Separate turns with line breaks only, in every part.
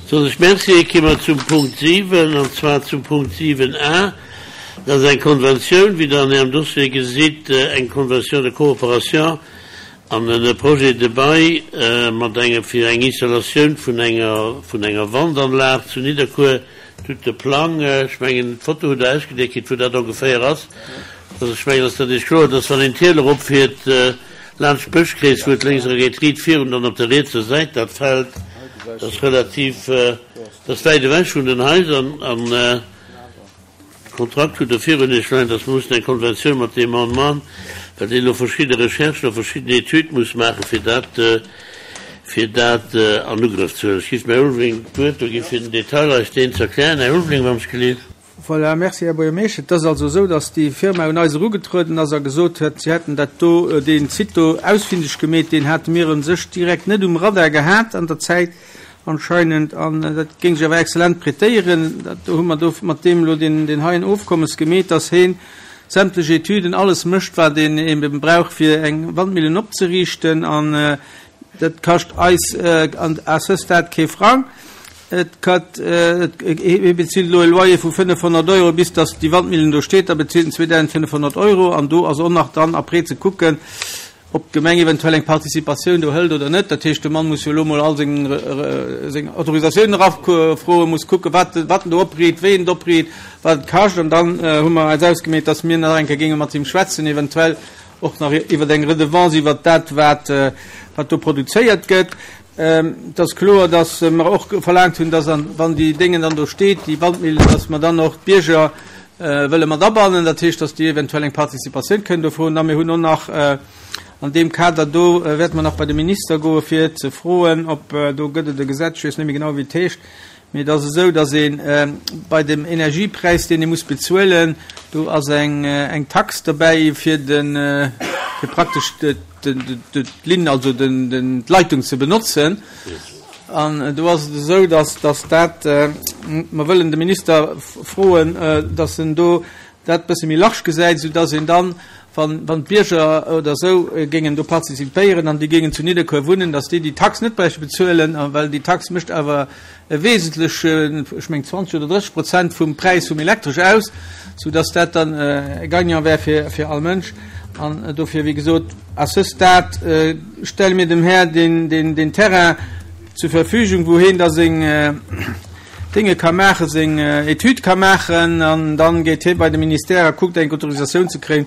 Soen ech Merci. Gi mer zum Punkt 7, an zwar zum Punkt 7 a. Dat ass eng Konventioun, wéi Der an Ärem Dossier gesitt, eng Convention de coopération an e Projet de bail mat engem, fir eng Installatioun vun enger, vun enger Wandanlag zu Nidderkuer. Tut de Plang, ech mengen d'Foto hutt Der ausgedéckt kritt, wou dat ongeféier ass. Also ech mengen, dass dat Iech kloer, dass wann een d'Hiel eropfiert laanscht d'Bëschkrees, wou et lénks erageet, riit virun, dann op der rietser Säit dat Feld, dat ass relativ, dat ass wäit ewech vun den Haiser. An de Kontrakt hutt Der virun Iech leien, dass mer mussen eng Konventioun mat deem Mann man, well deen elo verschidde Recherchen a verschidden Etüde muss maachen, fir dat, fir dat an Ugrëff ze huelen. Ech géif dem Här Ulveling d'Wuert do gi fir den Detail eis deen ze erklären. Här Ulveling, wann ech gelift.
Voilà, merci, Här Buergermeeschter. Et ass also esou, dass déi Firma un eis erugetrueden ass a gesot huet, si hätten dat do, dee Site do ausfindeg gemeet. Deen hate mir u sech direkt net um Radar gehat an der Zäit anscheinend. An dat géing sech awer exzellent prêtéieren. Dat do hu mer do mat deem elo deen, deen heien Ofkommes gemeet, dass heen sämtlech Etüden, alles mécht, wat een ebe brauch, fir eng Wandmillen opzeriichten. An dat kascht eis à ce stade kee Frang. Et gëtt, hie bezilt elo e Loyer vu 500 Euro, bis datt déi Wandmillen do steet, da bezilt en 2.500 Euro. An do ass och nach dann après ze kucken, ob d'Gemeng eventuell eng Participatioun do hëlt oder net. Dat heescht, de Mann muss jo elo mol all seng, seng Autorisatiounen erafroen, muss kucken, wat, wat en do opriit, wéi en et opriit, wat et kascht. An dann hu mer eis ausgemeet, datt mir nach eng Kéier géinge mat him schwätzen, eventuell och nach iwwer eng Redevance iwwert dat, wat, wat do produzéiert gëtt. Et ass kloer, dass mer och verlaangt hunn, dass, wann déi Déngen dann do steet, déi Wandmillen, dass mer dann och d'Bierger wëlle mat abannen, dat heescht, dass déi eventuell eng Participatioun kënnen do froen. A mir hunn och nach an deem Kader do, wäerte mer nach bei de Minister goe fir ze froen, ob, do gëtt et e Gesetz, ech weess net méi genau wéi et heescht, Mee et ass esou, datt ee bei dem Energiepräis, deen ee muss bezuelen, do ass eng Tax dobäi fir de fir praktesch d'Linn, also d'Leitung ze benotzen. An do ass et esou, datt datt dat, mer wëllen de Minister froen, datt en do dat bësse méi large gesäit, soudass een dann, wann, wann d'Bierger oder esou géingen do participéieren an déi géingen zu Nidderkuer wunnen, dass déi déi Tax net bräichte bezuelen, a well déi Tax mécht awer e wesentlechen, ech meng 20 oder 30 Prozent vum Präis vum Elektresch aus, soudass dat dann e Gagnant wär fir, fir all Mënsch. An dofir, wéi gesot, à ce stade stelle mir dem Här deen, deen, deen Terrain zur Verfügung, wou hien da seng, Dénge ka maachen, seng Etüd ka maachen an dann geet hie bei de Ministère a kuckt eng Autorisatioun ze kréien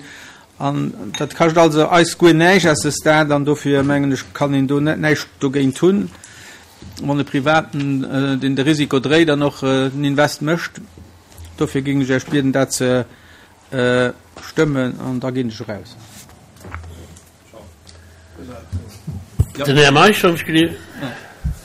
an dat kascht also eis guer näischt à ce stade an dofir mengen ech kann een do net näischt dogéint hunn, wann e Privaten deen de Risiko dréit an och den Invest mécht. Dofir géing ech Iech bieden dat ze stëmmen an da ginn ech eraus.
Den Här Meisch, wann ech gelift.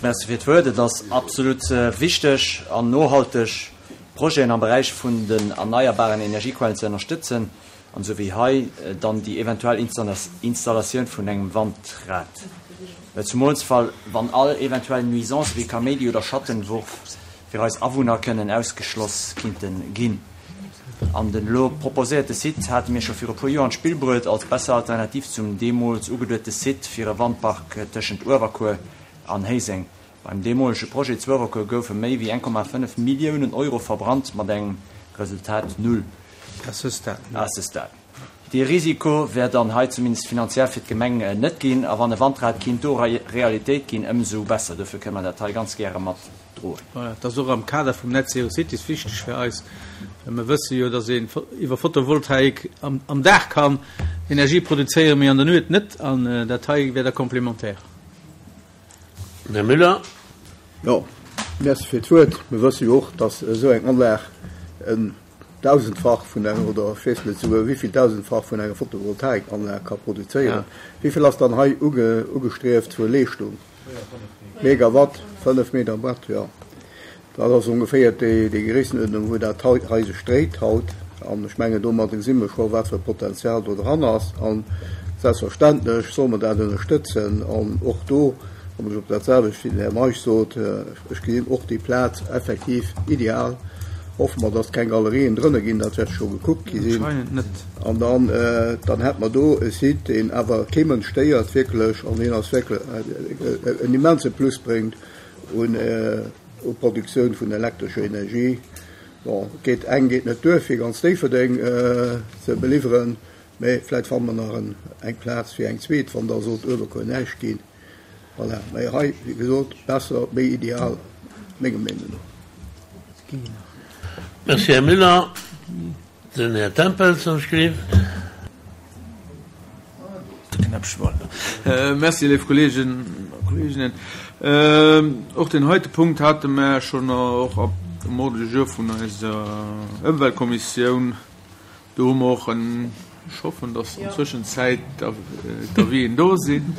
Merci fir d'Wuert. Et ass absolut wichteg an nohalteg, Projeten am Beräich vun den erneierbaren Energiequellen ze ënnerstëtzen an esou wéi hei dann déi eventuell Installatioun vun engem Wandrad. Zumools wann all eventuell Nuisancë wéi Kaméidi oder Schattenwurf fir eis Awunner kënnen ausgeschloss kinnte ginn. An den elo proposéierte Site hate mir scho viru puer Joer an d'Spill bruet, als besser Alternativ zum deemools ugeduete Site fir e Wandpark tëschent Uewerkuer an Héiseng. Beim deemolege Projet zu Uewerkuer goufe méi wéi 1,5 Milliounen Euro verbrannt, mat engem Resultat null.
À ce stade.
Dee Risiko wär dann hei zumindest finanziell fir d'Gemeng net ginn. A wann e Wandrad kinnt do Realitéit ginn, ëmsou besser. Dofir kënne mer dat hei ganz gäre mat droen.
Voilà, et ass och am Kader vum Net Zero Cities wichteg fir eis, well mer wësse jo, dass een iwwer Photovoltaik am Dag kann Energie produzéieren, mee an der Nuet net. An dat hei wär da complémentaire.
Här Müller.
Jo, merci fir d'Wuert. Mir wësse jo och, dass esou eng Anlag en Dausendfach vun enger, oder ech weess net esouguer wéivill Dausendfach vun enger Photovoltaikanlag ka produzéieren. Wéivill ass dann hei ugestrieft vu Leeschtung? Megawatt, 5 Megawatt, jo. Dat ass ongeféier déi Gréissenuerdnung, wou dat hei sech dréit haut. An ech mengen, domadde gesi mer scho, wat fir e Potenzial do dran ass. A selbstverständlech solle mer dat ënnerstëtzen. An och do kommen ech op dat selwecht, wéi den Här Meisch sot, Ech gesinn och déi Plaz effektiv ideal. Hoffe mer, dass keng Galerien drënne ginn, dat wäert scho gekuckt gi sinn.
Anscheinend net.
An dann, dann hätt mer do e Site, deen awer kee Mënsch stéiert wierklech an deen ass wierklech en immense Plus bréngt un. U Produktioun vun elektrescher Energie. Bon, et geet, eng geet net duer fir ganz Déifferdeng ze beliwweren, mä vläit fanne mer nach eng Plaz fir eng zweet, wann da sollt Uewerkuer näischt ginn. Voilà, mä hei, wéi gesot, besser, méi ideal, menger Meenung no.
Merci, Här Müller. Den Här Tempels ass geschriwwen.
Merci, léif Kolleegen a Kolleeginnen. Och deen heite Punkt hate mer schonn och um Ordre du jour vun eiser Ëmweltkommissioun. Do hu mer och en, ech hoffen, dass an Zwëschenzäit d'Avisen do sinn.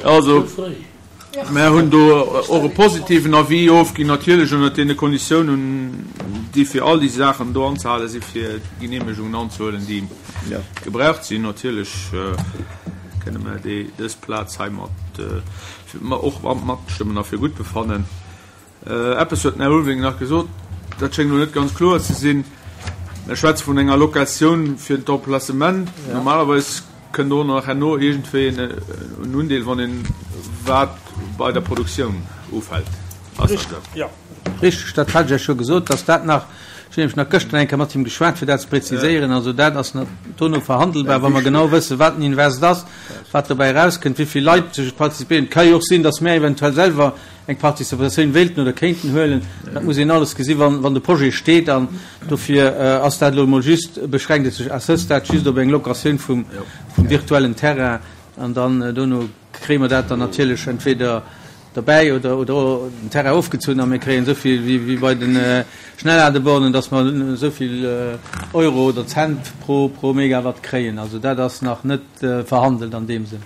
Also, Mär hunn do och e positiven Avis ofginn, natierlech ënnert deene Konditiounen, déi fir all déi Saachen do anzehale sinn, fir d'Geneemegungen anzehuelen, déi gebraucht sinn. Natierlech kënne mer déi, dës Plaz hei mat och matstëmmen a fir gutt befannen. Eppes huet den Här Ulveling nach gesot, dat schéngt elo net ganz kloer ze sinn. Mir schwätze vun enger Locatioun fir d'Emplacement. Normalerweis kënnt do nach herno iergendwéi en Undeel, wann een wat bei der Produktioun ufält. Ass dat esou?
Jo. Richteg, dat hat ech Iech scho gesot, dass dat nach, ech hunn nämlech nach gëschter eng Kéier mat him geschwat, fir dat ze präziséieren. Also dat ass nach dono verhandelbar, wa mer genau wëssen, wat den Invest ass, wat dobäi erauskënnt, wéi vill Leit sech participéieren. Et ka jo och sinn, dass mär eventuell selwer eng Participatioun wéilten oder kéinten huelen. Dat muss een alles gesi wann de Projet steet. An dofir ass dat elo emol just, beschränkt et sech à ce stade just op eng Locatioun vum virtuellen Terrain. An dann dono kréie mer dat dann natierlech entweder derbäi oder oder den Terrain ofgezunn a mir kréien esou vill wéi bei de Schnellladebornen, datt mer esou vill Euro oder Cent pro pro Megawatt kréien. Also dat ass nach net verhandelt an deem Sënn.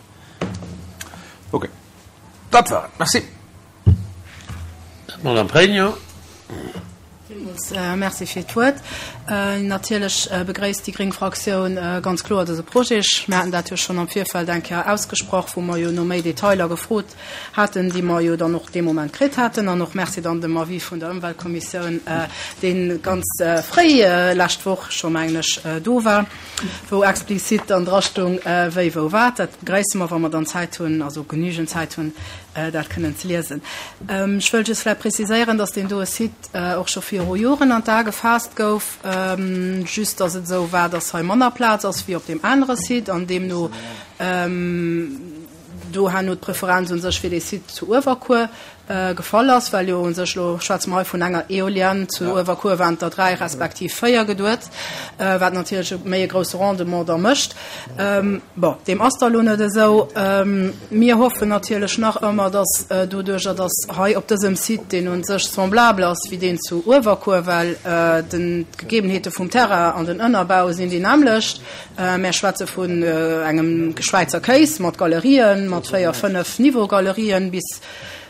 Okay. Dat war et. Merci.
Madame Pregno.
Villmools Merci fir d'Wuert. Natierlech begréisst déi gréng Fraktioun ganz kloer dëse Projet. Mir haten dat jo schonn am Virfeld eng Kéier ausgesprach, wou mer jo no méi Detailer gefrot haten, déi mer jo dann och dee Moment kritt haten. An och Merci dann dem Avis vun der Ëmweltkommissioun, dee ganz fréi lescht Woch scho, mengen ech, do war. wou explizit dann drastung, wéi, wou, wat. Dat begréisse mer, wa mer dann Zäit hunn, also genügend Zäit hunn, dat kënnen ze liesen. Ech wëll just vläicht preziséieren, dass deen doe Site och scho viru Joren an d'A gefaasst gouf, just dass et esou war, dass hei manner Plaz ass wéi op deem anere Site an deemno do herno d'Preferenz u sech fir dee Site zu Uewerkuer gefall ass, well jo u sech, elo schwätze mer hei vun enger Eolienne, zu Uewerkuer waren et der 3 respektiv 4 geduet, wat natierlech e méi e grousse Rendement da mécht. Bon, deem ass da elo net esou. Mir hoffen natierlech nach ëmmer, dass doduerjer, dass hei op dësem Site, deen u sech semblable ass wéi deen zu Uewerkuer, well den, d'Gegebenheete vum Terrain an den Ënnerbau sinn déi nämmlecht, Mär schwätze vun engem Schwäizer Kéis mat Galerien, mat 4, 5 Niveau-Galerien bis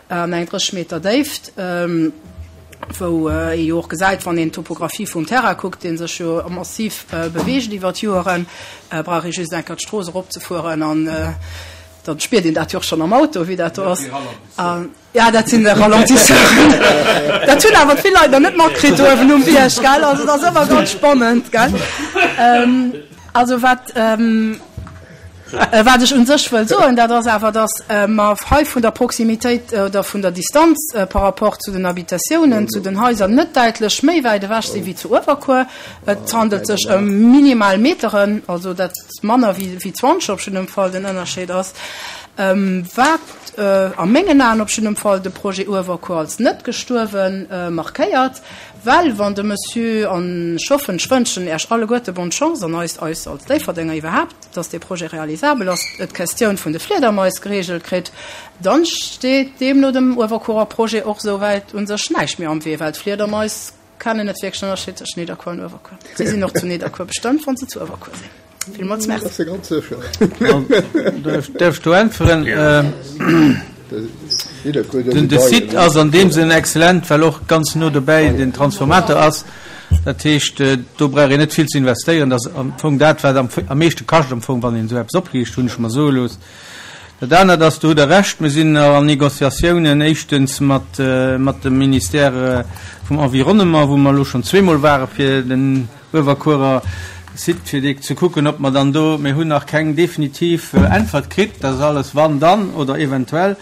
an eng 30 Meter Déift, wou ee jo och gesäit, wann een d'Topographie vum Terrain kuckt, dee sech jo massiv beweegt iwwer d'Joeren, brauch ee just eng Kéier d'Strooss eropzefueren an da spiert een dat jo och schonn am Auto, wéi dat do ass. Ja, dat sinn de Ralentisseuren. Dat hunn awer vill Leit nach net matkritt do uewen um Bierg, gell? Also dat ass ëmmer ganz spannend, gell? Ähm, also wat, ähm, äh, wat ech un sech wëll soen, dat ass awer, dass äh, mer hei vun der Proximitéit äh, oder vun der Distanz äh, par rapport zu den Habitatiounen, zu den Haiser net däitlech méi wäit ewech si wéi zu Uewerkuer. Et handelt sech ëm minimal Meteren, also dat manner wéi, wéi 20 op jiddem Fall den Ënnerscheed ass. Ähm, wat a mengen Aen op jiddem Fall de Projet Uewerkuer als net gestuerwe markéiert, well wann de Monsieur, an ech hoffen, ech wënschen Äech alleguerte bonne Chance an eis, eis als Déifferdenger iwwerhaapt, dass dee Projet realisabel ass, et d'Questioun vun de Fliedermais geregelt kritt, dann steet deemno dem Uewerkuerer Projet och esouwäit u sech näischt méi am Wee, well d'Fliedermais Kennen net wierklech Ënnerscheed tëscht Nidderkuer an Uewerkuer. Si sinn och zu Nidderkuer bestëmmt, wann se zu Uewerkuer sinn. Villmools Merci.
Ass se ganz sécher.
Däerf ech do äntweren? Den de Site ass an deem Sënn excellent, well och ganz no dobäi den Transformator ass. Dat heescht, do brauch een net vill ze investéieren. Dat ass am Fong dat, wat am meeschte kascht am Fong, wann een esou eppes opriicht, hunn ech mer soe looss. Dat anert ass, do hutt Der Recht, mir sinn nach an Négociatiounen, éischtens mat dem Ministère vum Environnement, wou mer elo schonn zweemol ware fir den Uewerkuerer. Site, fir dee ze kucken, ob mer dann do, mir hunn nach keng definitiv Äntwert kritt, dat ass alles wann, dann oder eventuell.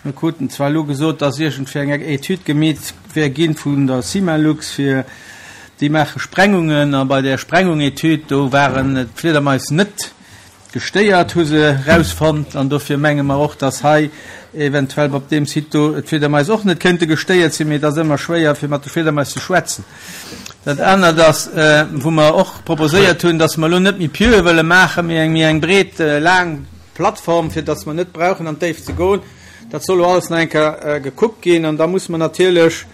Mir kruten zwar elo gesot, dass iergendwéi eng Etüd gemeet wär gi vun der Cimalux, fir déi maache Sprengungen, a bei där Sprengungetüd, do waren d'Fliedermais net gestéiert, hu se erausfonnt. An dofir menge mer och, dass hei eventuell op deem Site do d'Fliedermais och net kéinte gestéiert sinn. Mee et ass ëmmer schwéier, fir mat de Fliedermais ze schwätzen. Dat anert ass, wou mer och proposéiert hunn, dass mer elo net méi Pieue wëlle maachen, mee eng méi eng breet, laang Plattform, fir dass mer net brauchen an d'Déift ze goen. Dat soll elo alles nach eng Kéier gekuckt ginn. An da muss mer natierlech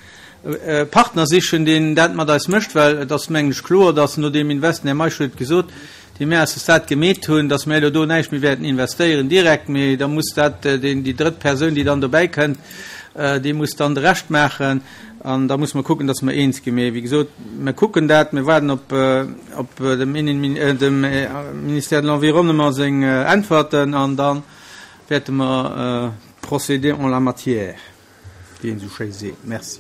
e Partner sichen, deen dat mat eis mécht, well et ass, mengen ech, kloer, dass no deem Invest, den Här Meisch huet et gesot, dee mir à ce stade gemeet hunn, dass mir elo do näischt méi wäerten investéieren direkt, mee da muss dat deen, déi drëtt Persoun, déi dann dobäi kënnt, déi muss dann de Rescht maachen. An da musse mer kucken, dass mer eens ginn. Mee wéi gesot, mir kucken dat, mir waarden op, op dem Innenmin-, dem Ministère de l'Environnement seng Äntwerten an da wäerte mer procéder en la matière, wéi een esou schéi seet. Merci.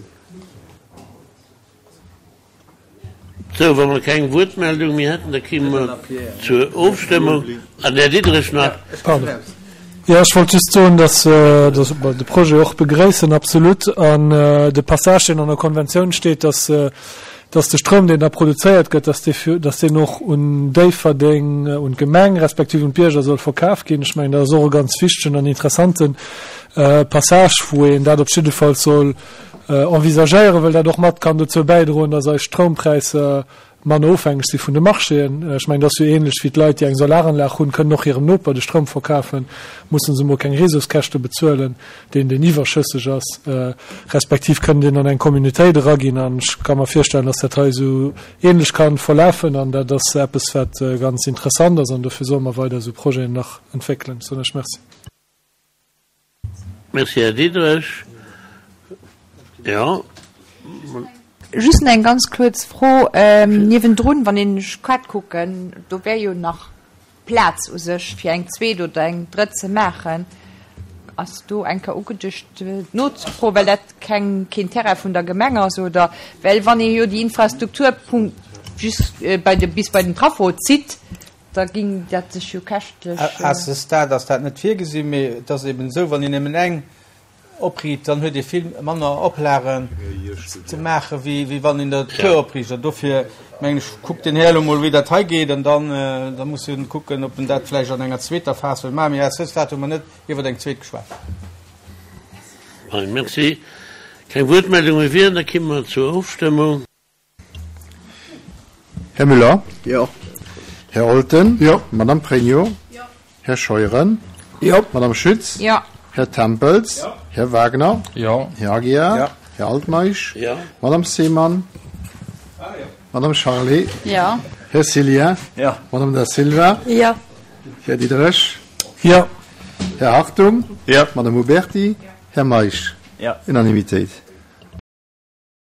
Sou, wa mer keng Wuertmeldung méi hätten, da kéime mer zur Ofstëmmung. An Här Diderich nach.
Pardon. Jo, ech wollt just soen, dass mer de Projet och begréissen, absolut. An de Passage, deen an der Konventioun steet, dass dass de Stroum, deen da produzéiert gëtt, dass dee fir, dass deen och un Déifferdeng, un d'Gemeng respektiv un d'Bierger soll verkaf ginn. Ech mengen, dat ass och e ganz wichtegen an interessante Passage, wou een dat op jiddefalls soll envisagéieren, well dat och mat kann dozou bäidroen, dass eis Stroumpräisser manner ofhängeg si vun de Marchéen. Ech mengen, dat ass jo ähnlech wéi d'Leit, déi eng Solaranlag hunn, kënnen och hirem Noper de Stroum verkafen, musse se emol keng Réseauskäschte bezuelen, deen deen iwwerschësseg ass, respektiv kënnen deen an eng Communautéit eraginn. An ech ka mer virstellen, dass dat hei esou ähnlech ka verlafen. An dat ass eppes, wat ganz interessant ass, an dofir solle mer weider esou Projeten nach entwéckelen. Soen ech Merci.
Merci, Här Diderich. Jo.
Just nach eng ganz kuerz Fro niewendrun, wann een ech grad kucken, do wär jo nach Plaz u sech fir eng zweet oder eng drëtt ze maachen. Ass do eng Kéier ugeduecht nozefroen, well dat keng, keen Terrain vun der Gemeng ass, oder? Well wann ee jo déi Infrastruktur just bei de, bis bei den Traffo zitt, Da ging dat sech jo käschtlech.
À ce stade ass dat net virgesinn, mee et ass eben esou, wann een nëmmen eng opriit, dann huet ee vill manner Oplagen ze maachen, wéi wann een der e puer opriicht. An dofir mengen ech, kuckt den Här elo mol, wéi dat hei geet, an dann da muss en kucken, ob en dat vläicht an enger zweeter Phas wëll maachen. Mee à ce stade hu mer net iwwer eng zweet geschwat.
Merci. Keng Wuertmeldung méi wieren, da kimme mer zur Ofstëmmung.
Här Müller?
Jo.
Här Olten?
Jo.
Madame Pregno?
Jo.
Här Scheuren?
Jo.
Madame Schütz?
Jo.
Här Tempels?
Jo.
Här Wagner?
Jo.
Här Aguiar?
Jo.
Här Altmeisch?
Jo.
Madame Seemann?
Jo.
Madame Charlé?
Jo.
Här Cillien?
Jo.
Madame Da Silva?
Jo.
Här Diderich?
Jo.
Här Hartung?
Jo.
Madame Huberty?
Jo.
Här Meisch?
Jo.
Unanimitéit.